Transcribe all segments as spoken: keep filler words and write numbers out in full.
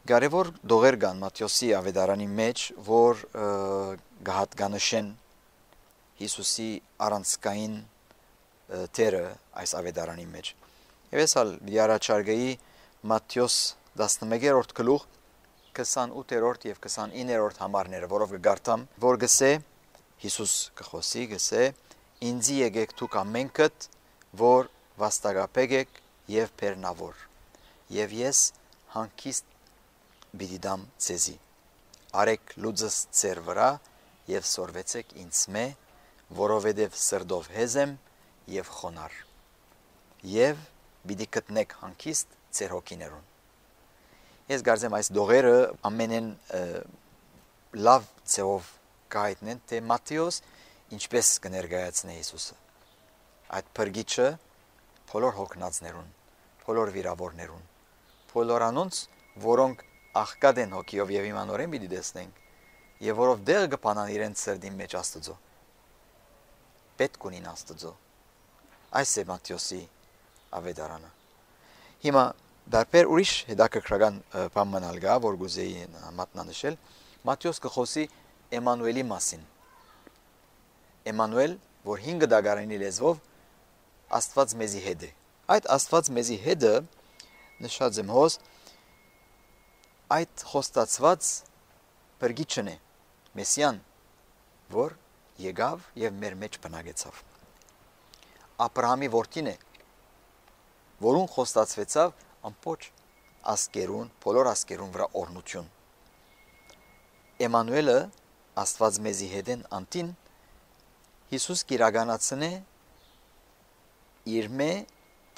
Կարևոր դողեր կան Մատթեոսի ավետարանի մեջ, որ գահատկանշեն Հիսուսի առանցքային թերը այս ավետարանի մեջ։ Եվ ես հալ առաջարկեի Մատթեոս տասնմեկերորդ գլուխ քսանութերորդ եւ քսանիններորդ համարները, որով կգարտամ, որ գսե Հիսուս կխոսի, գսե ինձի եկեք դուք ամենքդ, որ վաստակապեք եք եւ բեռնավոր, եւ ես հանգիստ պիտի դամ ձեզի։ Արեք լուծս ձեր վրա եւ սորվեցեք ինձ մե, որովհետեւ սրդով հեզ եմ եւ խոնար, եւ պիտի գտնեք հանգիստ ձեր հոգիներուն։ Ես կարծեմ այս դողերը ամենեն լավ ձևով կայտնեն, թե Մատթեոս ինչպես կներկայացնի Հիսուսը։ Այդ փրկիչը բոլոր հոգնածներուն, բոլոր վիրավորներուն, բոլոր անոնց, որոնք աղքատ են հոգիով եւ իմանորեն պիտի տեսնենք, եւ որով դեղ կփանան իրենց սրտի մեջ Աստծո։ Պետք ունին Աստծո։ Այս է Մատթեոսի ավետարանը։ Հիմա դարբեր ուրիշ հետաքրքրական բան մնալ գա, որ գուզեի մատնանշել, Մատթեոս կխոսի Էմանուելի մասին։ Էմանուել, որ հինգ դագարանի լեզվով Աստված մեզի հետ է։ Այդ Աստված մեզի հետը նշած եմ հոս այդ խոստացված փրկիչն է, Մեսիան, որ եկավ եւ մեր մեջ բնակեցավ։ Աբրահամի որդին է, որուն խոստացվեցավ ամբողջ ասկերուն, բոլոր ասկերուն վրա օրհնություն։ Էմանուելը, Աստված մեզի հետեն անտին, Հիսուս կիրականացնե իր մե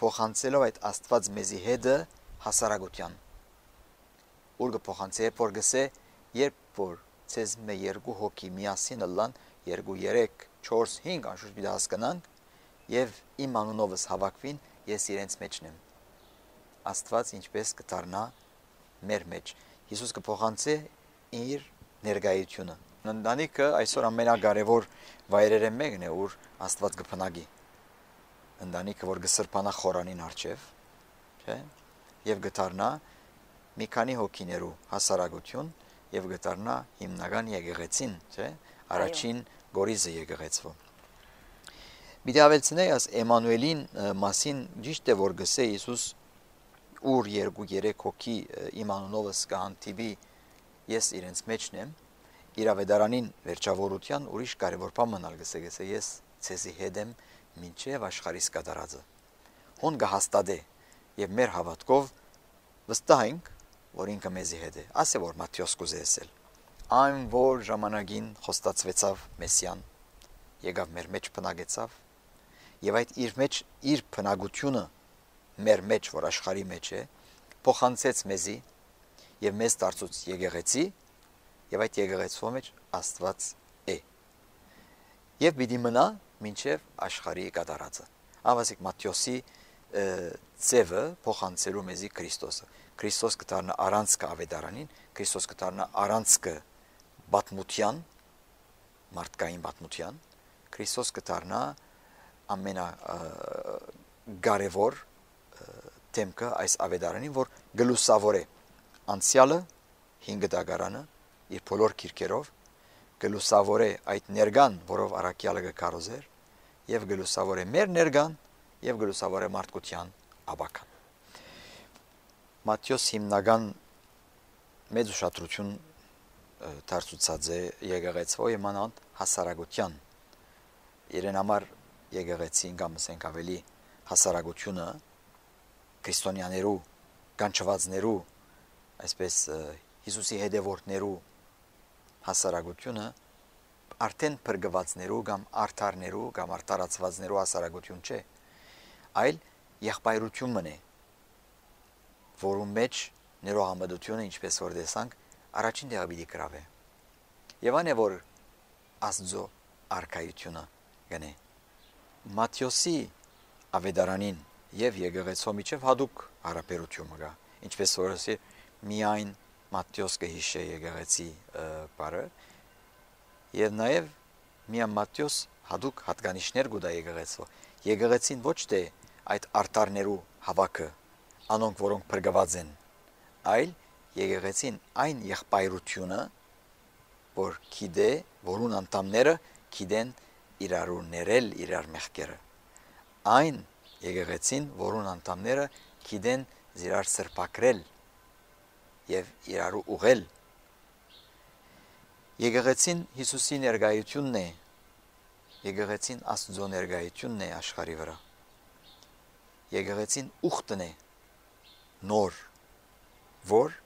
փոխանցելով այդ Աստված մեզի հետը հասարակության։ Ուր կփոխանցե, որ գսե, երբ որ ցեզ մե երկու հոգի միասին լան, երկու, երեք, չորս, հինգ անշուշտ պիտի հասկանանք, եւ իմ անունովս հավաքվին, ես իրենց մեջն եմ։ Աստված ինչպես կդառնա մեր մեջ։ Հիսուս կփոխանցե իր ներկայությունը։ Ընտանիքը այսօր ամենակարևոր վայրերը մեկն է, ուր Աստված կփնագի։ Ընտանիքը, որ կսրբանա խորանին առջև, չէ՞, եւ կդառնա մի քանի հոգիներու հասարակություն եւ գտարնա հիմնական եկեղեցին, չէ՞, առաջին գորիզը եկեղեցվո։ Մի դավելցնեի աս Էմանուելին մասին ճիշտ է որ գսե Հիսուս ուր երկու երեք հոգի իմ անունովս կհանդիպի ես իրենց մեջն եմ, իր ավետարանին վերջավորության ուրիշ կարևոր բան մնալ գսե գսե ես ցեզի հետ եմ մինչև աշխարհիս կատարածը։ Հոն կհաստատե եւ մեր հավատքով վստահ ենք որ ինքը մեզի հետ է։ Ասե որ Մատթեոս կուզեսել։ Այն որ ժամանակին խոստացվեցավ Մեսիան, եկավ մեր մեջ բնակեցավ, եւ այդ իր մեջ իր բնակությունը մեր մեջ, որ աշխարհի մեջ է, փոխանցեց մեզի եւ մեզ դարձուց եկեղեցի, եւ այդ եկեղեցու մեջ Աստված է։ Եվ պիտի մնա մինչև աշխարհի կատարածը։ Ավասիկ Մատթեոսի ծևը փոխանցելու մեզի Քրիստոսը։ Քրիստոս կդառնա առանցքը ավետարանին, Քրիստոս կդառնա առանցքը բատմության, մարդկային բատմության, Քրիստոս կդառնա ամենա կարևոր թեմքը այս ավետարանին, որ գլուսավոր է անցյալը, հինգ դագարանը, իր բոլոր քիրքերով, գլուսավոր է այդ ներգան, որով առաքյալը կկարոզեր, եւ գլուսավոր է մեր ներգան, եւ գլուսավոր է մարդկության աբական։ Մատթեոս հիմնական մեծ ուշադրություն դարձուցած է եկեղեցվո իմանալ հասարակության։ Իրեն համար եկեղեցին կամ ասենք ավելի հասարակությունը քրիստոնյաներու, կանչվածներու, այսպես Հիսուսի հետևորդներու հասարակությունը արդեն փրկվածներու կամ արդարներու կամ արդարացվածներու հասարակություն չէ, այլ եղբայրությունն է, որում մեջ ներողամտությունը, ինչպես որ տեսանք, առաջին տեղը պիտի գրավե։ Եվ այն է որ Աստծո արքայությունը գնե։ Մատթեոսի ավետարանին եւ եկեղեցու միջև հadouk հարաբերություն կա, ինչպես որ ասի միայն Մատթեոս կհիշե եկեղեցի բառը, եւ նաեւ միայն Մատթեոս հadouk հատկանիշներ կուտա եկեղեցու։ Եկեղեցին ոչ թե այդ արտարներու հավաքը, անոնք որոնք փրկված են, այլ եկեղեցին այն եղբայրությունը, որ գիտե, որուն անդամները գիտեն իրարու ներել իրար մեղքերը։ Այն եկեղեցին, որուն անդամները գիտեն իրար սրբակրել եւ իրարու ուղել։ Եկեղեցին Հիսուսի ներկայությունն է, եկեղեցին Աստծո ներկայությունն է աշխարհի վրա։ Եկեղեցին ուխտն է, նոր, որ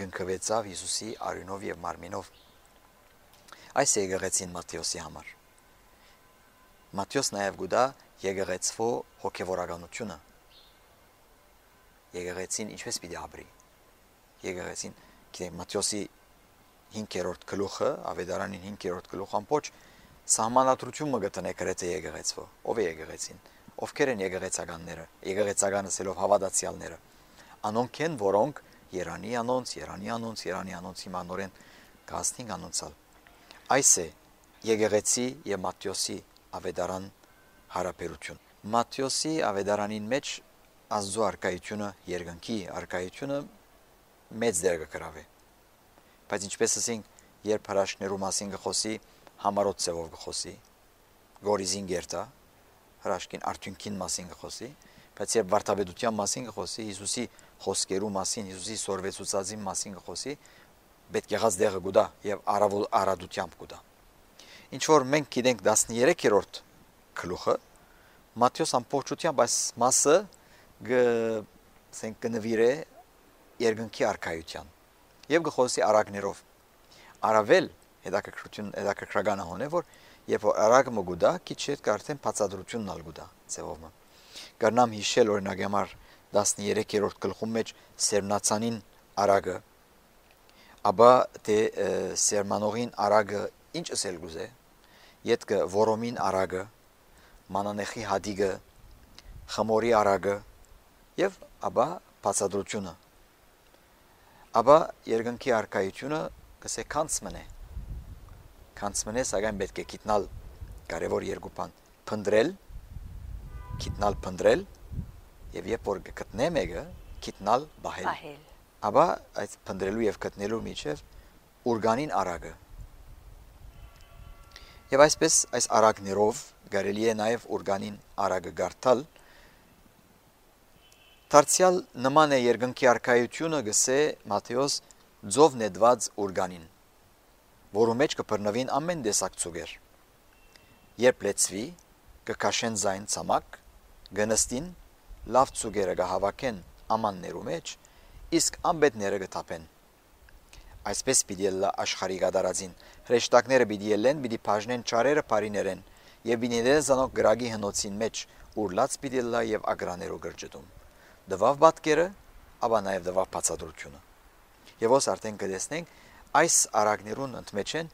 գնկվեցավ Հիսուսի արյունով եւ մարմինով։ Այս է եկեղեցին Մատթեոսի համար։ Մատթեոս նաեւ գուտա եկեղեցվո հոգեվորականությունը։ Եկեղեցին ինչպես պիտի ապրի։ Եկեղեցին, գիտեք, Մատթեոսի հինգերորդ գլուխը, Ավետարանին հինգերորդ գլուխ ամբողջ սահմանադրություն մը գտնե գրեթե եկեղեցվո։ Ով է եկեղեցին։ Ովքեր են եկեղեցականները, եկեղեցական ասելով հավատացյալները։ Անոնք են, որոնք Երանի անոնց, Երանի անոնց, Երանի անոնց հիմա նորեն գազնին անոնցալ։ Այս է եկեղեցի եւ Մատթեոսի ավետարան հարաբերություն։ Մատթեոսի ավետարանին մեջ Աստծո արկայությունը, երկնքի արկայությունը մեծ դեր կգրավի։ Բայց ինչպես ասենք, երբ հրաշքներու մասին գխոսի, համարոտ ծևով գխոսի, գորիզին գերտա, հրաշքին արդյունքին մասին գխոսի, բայց երբ վարդապետության մասին գխոսի, Հիսուսի խոսքերու մասին, Հիսուսի սորվեցուցածի մասին գխոսի, պետք եղած դեղը գուտա եւ արավոլ արադությամբ գուտա։ Ինչ որ մենք գիտենք տասներեքերորդ գլուխը, Մատթեոս ամբողջությամբ այս մասը գսենք կնվիրե երկնքի արքայության եւ գխոսի արագներով։ Արավել հետաքրքրություն հետաքրքրական հոն է, որ երբ որ արագը մգուտա, քիչ հետ կարծեն բացադրությունն ալ գուտա ծևովը։ Կրնամ հիշել օրինակ համար տասներեքերորդ գլխում մեջ Սերմնացանին արագը, ապա թե Սերմանողին արագը ինչ ասել գուզե, յետքը Որոմին արագը, Մանանեխի հադիգը, Խմորի արագը եւ ապա բացադրությունը։ Ապա երկնքի արքայությունը կսե կանցմն է։ Կանցմն է, սակայն պետք է գիտնալ կարևոր երկու բան՝ փնդրել, գիտնալ փնդրել եւ երբ որ գտնե մեկը, գիտնալ բահել։ Ապա այդ փնդրելու եւ գտնելու միջև ուրգանին արագը։ Եվ այսպես այս արագներով կարելի է նաեւ ուրգանին արագը գարտալ։ Դարձյալ նման է երկնքի արքայությունը գսե Մատթեոս ձով նետված ուրգանին, որու մեջ կբռնվին ամեն տեսակ ցուգեր։ Երբ լեցվի, կքաշեն զայն ցամաք, գնստին, լավ ցուգերը կհավաքեն ամաններու մեջ, իսկ ամբետները կթափեն։ Այսպես պիտի լա աշխարհի գդարածին, հրեշտակները պիտի ելեն, պիտի բաժնեն ճարերը բարիներեն, եւ պիտի դեն զանոք գրագի հնոցին մեջ, ուր լաց պիտի լա եւ ագրաներու գրճտում։ Դվավ բատկերը, ապա նաև դվավ բացադրությունը։ Եվ ոս արդեն կտեսնենք այս արագներուն ընդմեջեն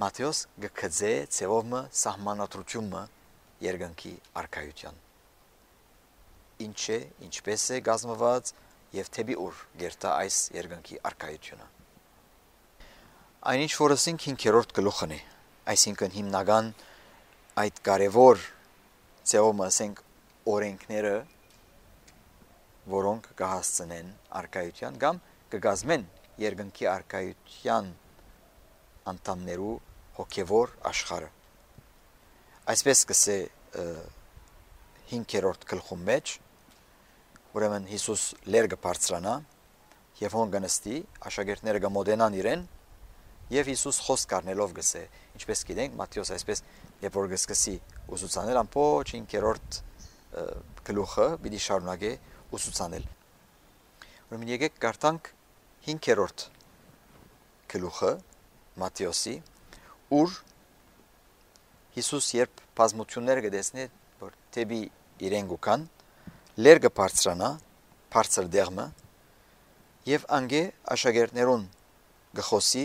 Մատթեոս գկծե ցևովը սահմանադրությունը երկնքի արքայության։ Ինչ է, ինչպես է գազմված եւ թեպի ուր գերտա այս երկնքի արքայությունը։ Այնինչ որ ասենք հինգերորդ գլուխն է, այսինքն հիմնական այդ կարևոր ցևովը ասենք օրենքները, որոնք կհասցնեն արքայության կամ կգազմեն երկնքի արքայության անդամներու հոգևոր աշխարհը։ Այսպես կսե հինգերորդ գլխում մեջ, ուրեմն Հիսուս լեր կբարձրանա եւ հոն կնստի, աշակերտները կմոտենան իրեն եւ Հիսուս խոսք առնելով գսե, ինչպես գիտենք Մատթեոս այսպես երբ որ գսկսի ուսուցանել ամբողջ հինգերորդ գլուխը պիտի շարունակե ուսուցանել։ Ուրեմն եկեք կարդանք հինգերորդ գլուխը Մատթեոսի, ուր Հիսուս երբ բազմություններ կտեսնի, որ թեպի իրեն գուքան, լեր կբարձրանա, բարձր դեղմը, եւ անգե աշակերտներուն գխոսի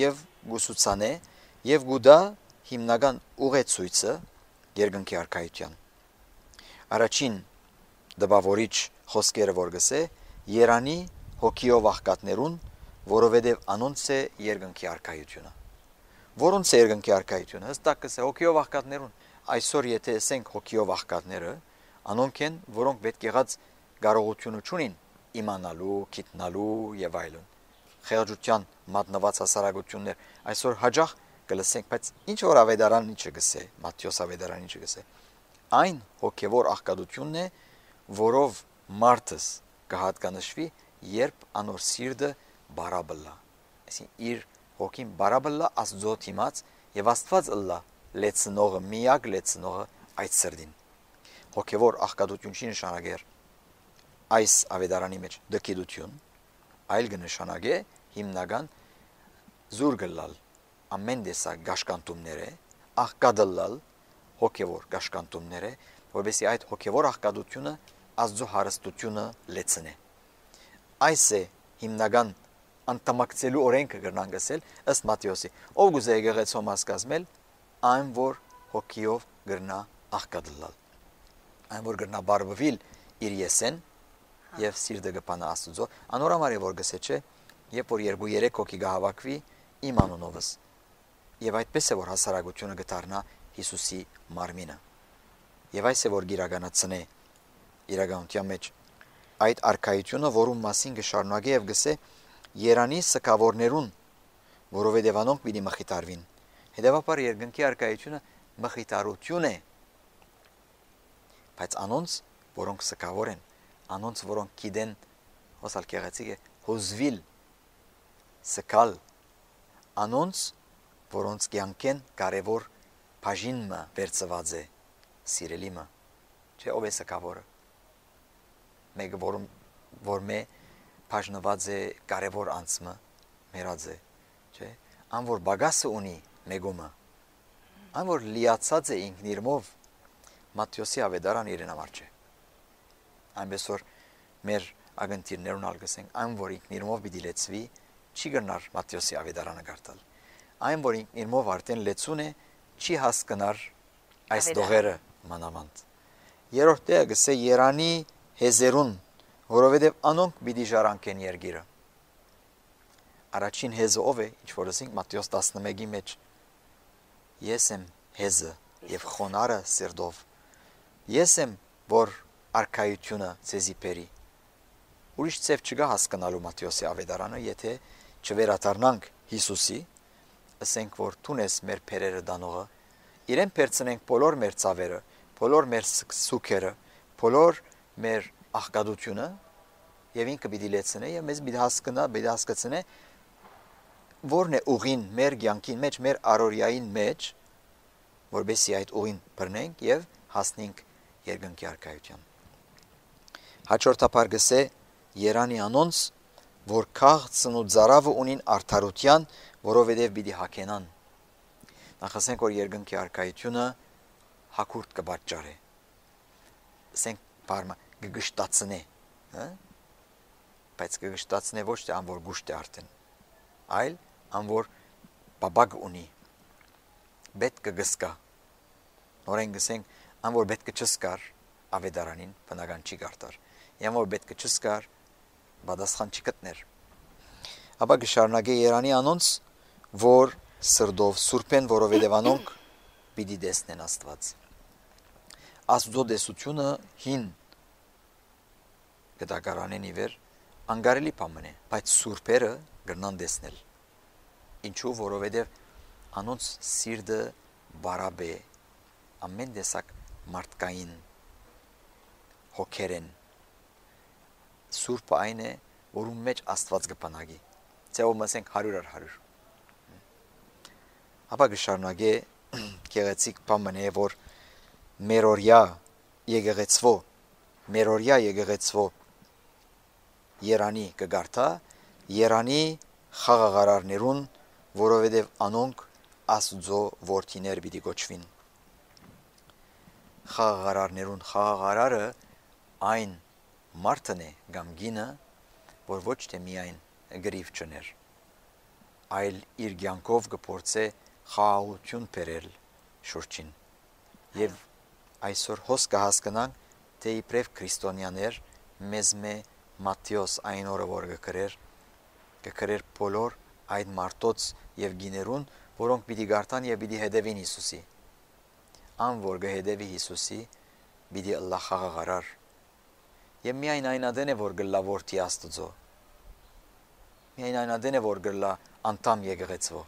եւ գուսուցանե եւ գուդա հիմնական ուղեցույցը երկնքի արքայության։ Առաջին դպավորիչ խոսքերը որ գսե Երանի հոգիով աղքատներուն, որովհետև անոնց է երկնքի արքայությունը։ Որոնց է երկնքի արքայությունը, հստակ կսե հոգիով աղքատներուն։ Այսօր եթե ասենք հոգիով աղքատները, անոնք են, որոնք պետք եղած կարողությունը չունին իմանալու, գիտնալու եւ այլն։ Խեղճության մատնված հասարակություններ այսօր հաջող կլսենք, բայց ինչ որ ավետարանի չգսե, Մատթեոս ավետարանի չգսե։ Այն հոգևոր աղքատությունն է, որով մարդս կհատկանշվի, երբ անոր սիրտը բարաբլա։ Այսինքն իր հոգին բարաբլա Աստծո դիմաց եւ Աստված ըլլա լեցնողը, միակ լեցնողը այդ սրտին։ Հոգևոր աղքատություն չի նշանակեր այս ավետարանի մեջ դկիդություն, այլ կնշանակե հիմնական զուր գլալ ամեն տեսակ գաշկանտումները, աղքատալալ հոգևոր գաշկանտումները, որովհետեւ այդ հոգևոր աղքատությունը Աստծո հարստությունը լեցնե։ Այս է հիմնական անտամակցելու օրենքը կրնան գսել ըստ Մատթեոսի։ Ով գուզե եկեղեցու մասկազմել, այն որ հոգիով գրնա աղքատալալ, այն որ գրնա բարբվիլ իր եսեն եւ սիրտը կփանա Աստծո, անորամար է որ գսե չէ, երբ որ երկու երեք հոգի կհավաքվի իմ անունովս։ Եվ այդպես է որ հասարակությունը կդառնա Հիսուսի մարմինը։ Եվ այս է որ գիրականացնե իրականության մեջ այդ արքայությունը, որում մասին կշարունակե եւ գսե Երանի սկավորներուն, որովհետեւ անոնք պիտի մխիթարվին։ Հետևաբար երկնքի արքայությունը մխիթարություն է, բայց անոնց, որոնք սկավոր են, անոնց, որոնք գիտեն, հոսալ կեղեցիկ է, հոզվիլ, սկալ, անոնց, որոնց կյանքեն կարևոր բաժինը վերծված է, սիրելիմը, չէ ով է սկավորը, մեկը որում որ մե բաժնված է կարևոր անձը, մերած է, չէ, ան որ բագասը ունի մեգումը, ան որ լիացած է ինքն իրմով, Մատթեոսի ավետարան իրեն համար չէ։ Այնպես որ մեր ագնտիրներուն ալգսենք, այն որ ինքն իրմով պիտի լեցվի, չի գնար Մատթեոսի ավետարանը գարտալ։ Այն որ ինքն իրմով արդեն լեցուն է, չի հասկնար այս դողերը մանավանդ։ Երրորդ տեղը գսե Երանի հեզերուն, որովհետև անոնք պիտի ժառանգեն երկիրը։ Առաջին հեզը ով է, ինչ որ ասենք Մատթեոս տասնմեկի մեջ։ Ես եմ հեզը եւ խոնարը սիրտով։ Ես եմ որ արքայությունը ցեզի բերի։ Ուրիշ ցև չկա հասկանալու Մատթեոսի ավետարանը, եթե չվերադառնանք Հիսուսի, ասենք որ տունես մեր փերերը դանողը, իրեն բերցնենք բոլոր մեր ցավերը, բոլոր մեր սուքերը, բոլոր մեր աղքատությունը եւ ինքը պիտի լեցնե եւ մեզ պիտի հասկանա, պիտի հասկացնե որն է ուղին մեր կյանքին մեջ, մեր առօրյային մեջ, որբեսի այդ ուղին բռնենք եւ հասնենք երկնքի արքայության։ Հաջորդաբար գսե Երանի անոնց, որ քաղցն ու ծարավը ունին արդարության, որովհետև պիտի հագենան։ Նախ ասենք որ երկնքի արքայությունը հակուրտ կբաճարե։ Ասենք բարմա գգշտացնե, հա? Բայց գգշտացնե ոչ թե ան որ գուշտ է արդեն, այլ ան որ բաբակ ունի, պետք կգսկա։ Նորեն գսենք ան որ պետք չսկար ավետարանին բնական չի գարտար, ան որ պետք չսկար բադասխան չի գտներ։ Ապա գշարունակե Երանի անոնց, որ սրդով սուրբ են, որովհետև անոնք պիտի տեսնեն Աստված։ Աստծո տեսությունը հին գտակարանեն իվեր անգարելի բան է, բայց սուրբերը գրնան տեսնել։ Ինչու, որովհետև անոնց սիրտը բարաբ է, ամեն տեսակ մարդկային հոգերեն։ Սուրբը այն է, որում մեջ Աստված կփնագի։ Ցեով մասենք հարյուր առ հարյուր։ Ապա գշարունակե գեղեցիկ բան է, որ մերորյա եկեղեցվո, մերորյա եկեղեցվո Երանի կգարտա, Երանի խաղաղարարներուն, որովհետև անոնք Աստծո որդիներ պիտի կոչվին։ Խաղաղարարներուն խաղաղարարը այն մարդն է կամ գինը, որ ոչ թե միայն գրիվ չներ, այլ իր կյանքով կփորձե խաղաղություն բերել շուրջին։ Եվ այսօր հոս կհասկանանք, թե իբրև քրիստոնյաներ մեզ մե Մատթեոս այն օրը որ կգրեր, կգրեր բոլոր այդ մարդոց եւ գիներուն, որոնք պիտի գարտան եւ պիտի հետևին Հիսուսի։ Ան որ կհետևի Հիսուսի, պիտի ըլլա խաղաղարար։ Եվ միայն այն ադեն է, որ գլա որդի Աստծո։ Միայն այն ադեն է, որ գլա անդամ եկեղեցվո։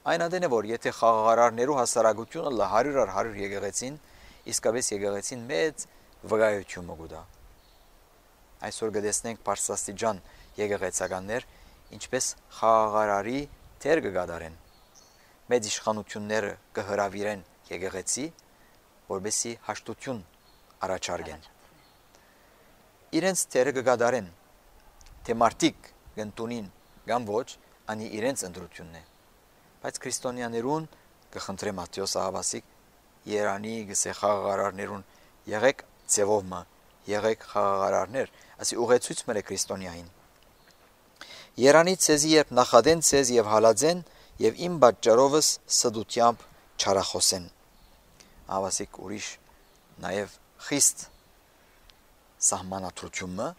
Այն ադեն է, որ եթե խաղաղարարներու հասարակությունը լա հարյուր առ հարյուր եկեղեցին, իսկապես եկեղեցին մեծ վկայություն կուտա։ Այսօր կտեսնենք բարձրաստիճան եկեղեցականներ, ինչպես խաղաղարարի թեր կգադարեն։ Մեծ իշխանությունները կհրավիրեն եկեղեցի, որբեսի հաշտություն առաջարկեն։ Իրենց թերը կգադարեն, թե մարդիկ գնտունին կամ ոչ, անի իրենց ընտրությունն է։ Բայց քրիստոնյաներուն կխնդրեմ Մատթեոս ահավասիկ Երանի գսե խաղաղարարներուն եղեք ձևովը, եղեք խաղաղարարներ, ասի ուղեցույց մերը քրիստոնյային։ Երանի ցեզի երբ նախադեն ցեզ եւ հալածեն եւ իմ պատճառովս սդությամբ չարախոսեն։ Ահավասիկ ուրիշ նաեւ խիստ սահմանադրությունը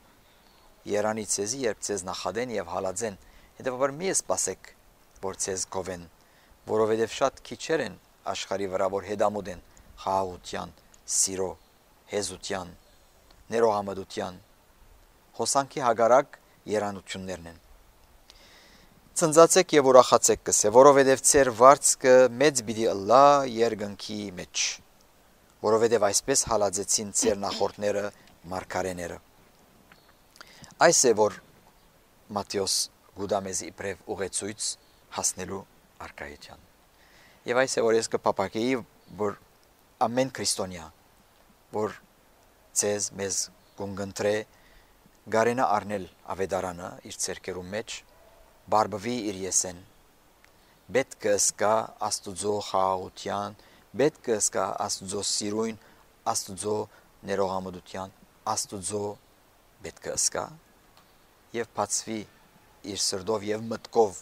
Երանի ցեզի երբ ցեզ նախադեն եւ հալածեն, հետեւաբար մի սպասեք, որ ցեզ գովեն, որովհետեւ շատ քիչեր են աշխարի վրա, որ հետամուտ են խաղաղության, սիրո, հեզության, ներողամտության, հոսանքի հագարակ երանություններն են։ Ցնծացեք եւ ուրախացեք կսե, որովհետեւ ցեր վարձքը մեծ պիտի ըլլա երկնքի մեջ, որովհետեւ այսպես հալածեցին ցեր նախորդները մարգարեները։ Այս է որ Մատթեոս գուդամեզի իբրև ուղեցույց հասնելու արկայության։ Եվ այս է որ ես կփապակեի, որ ամեն քրիստոնյա, որ ցեզ մեզ կունգընտրե գարենա առնել ավետարանը իր ցերկերու մեջ, բարբվի իր եսեն, պետք է սկա Աստուծո խաղաղության, պետք է սկա Աստուծո սիրույն, Աստուծո ներողամտության, Աստուծո պետք է սկա եւ բացվի իր սրտով եւ մտքով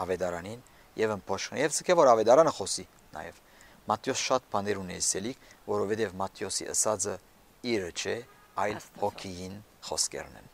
ավետարանին եւ ըմբոշխնի եւ ցկե որ ավետարանը խոսի նաեւ Մատթեոս շատ բաներ ունի ասելիք, որովհետեւ Մատթեոսի ասածը իրը չէ, այլ հոգին խոսքերն են։